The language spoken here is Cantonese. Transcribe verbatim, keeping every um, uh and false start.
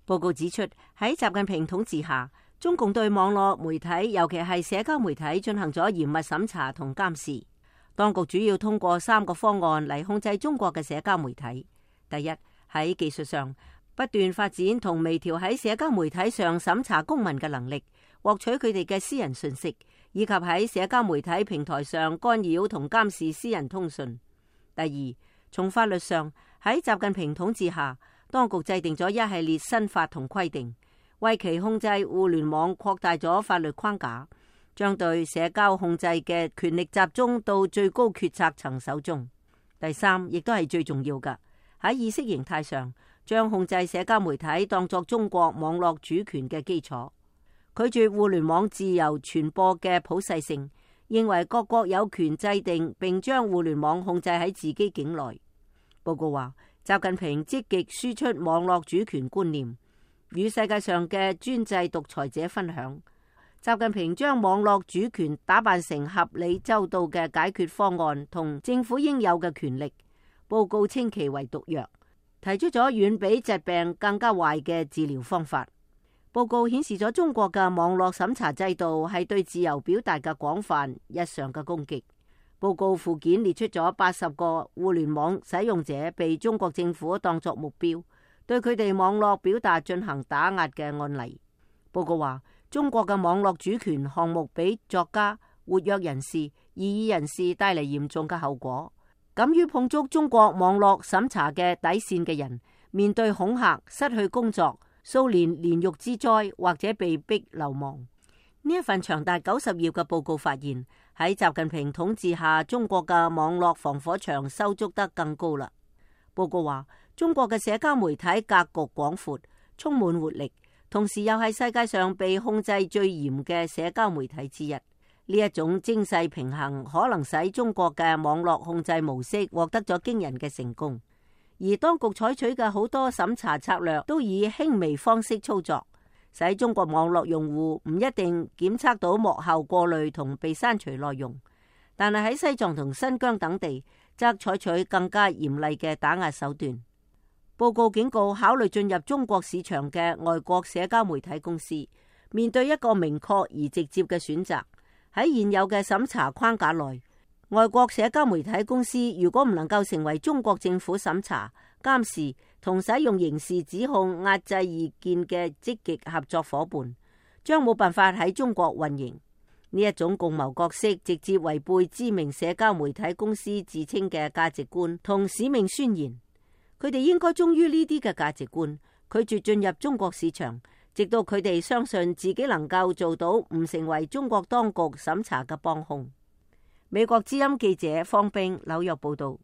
報告指出，喺習近平統治下，中共對網絡媒體，尤其係社交媒體進行咗嚴密審查同監視。當局主要通過三個方案嚟控制中國嘅社交媒體。第一，喺技術上不斷發展同微調喺社交媒體上審查公民嘅能力，獲取佢哋嘅私人信息，以及喺社交媒體平台上干擾同監視私人通訊。第二，從法律上喺習近平統治下，當局制定咗一系列新法同規定，為其控制互聯網擴大咗法律框架，將對社交控制嘅權力集中到最高決策層手中。第三，亦都係最重要嘅，喺意識形態上，將控制社交媒體當作中國網絡主權嘅基礎，拒絕互聯網自由傳播嘅普世性，認為各國有權制定並將互聯網控制喺自己境內。報告話，習近平積極輸出網絡主權觀念，與世界上嘅專制獨裁者分享。習近平將網絡主權打扮成合理周到嘅解決方案同政府應有嘅權力。報告稱其為毒藥，提出咗遠比疾病更加壞嘅治療方法。報告顯示咗中國嘅網絡審查制度係對自由表達嘅廣泛日常嘅攻擊。報告附件列出咗八十個互聯網使用者被中國政府當作目標，對佢哋網絡表達進行打壓嘅案例。報告話，中國嘅網絡主權項目俾作家、活躍人士、異議人士帶嚟嚴重嘅後果。敢於碰觸中國網絡審查嘅底線嘅人，面對恐嚇、失去工作、數年煉獄之災，或者被逼流亡。呢一份長達九十頁嘅報告發現，喺習近平統治下，中國嘅網絡防火牆修築得更高啦。報告話，中國嘅社交媒體格局廣闊，充滿活力，同時又係世界上被控制最嚴嘅社交媒體之一。呢一種精細平衡可能使中國嘅網絡控制模式獲得咗驚人嘅成功，而當局採取嘅好多審查策略都以輕微方式操作，使中國網絡用戶唔一定檢測到幕後過濾同被刪除內容。但係喺西藏同新疆等地，則採取更加嚴厲嘅打壓手段。報告警告，考慮進入中國市場嘅外國社交媒體公司，面對一個明確而直接嘅選擇。喺現有嘅審查框架內，外國社交媒體公司如果唔能夠成為中國政府審查、監視同使用刑事指控壓制意見嘅積極合作夥伴，將冇辦法喺中國運營。呢一種共謀角色直接違背知名社交媒體公司自稱嘅價值觀同使命宣言。佢哋應該忠於呢啲嘅價值觀，拒絕進入中國市場，直到佢哋相信自己能夠做到唔成為中國當局審查嘅幫兇。美國之音記者方冰紐約報道。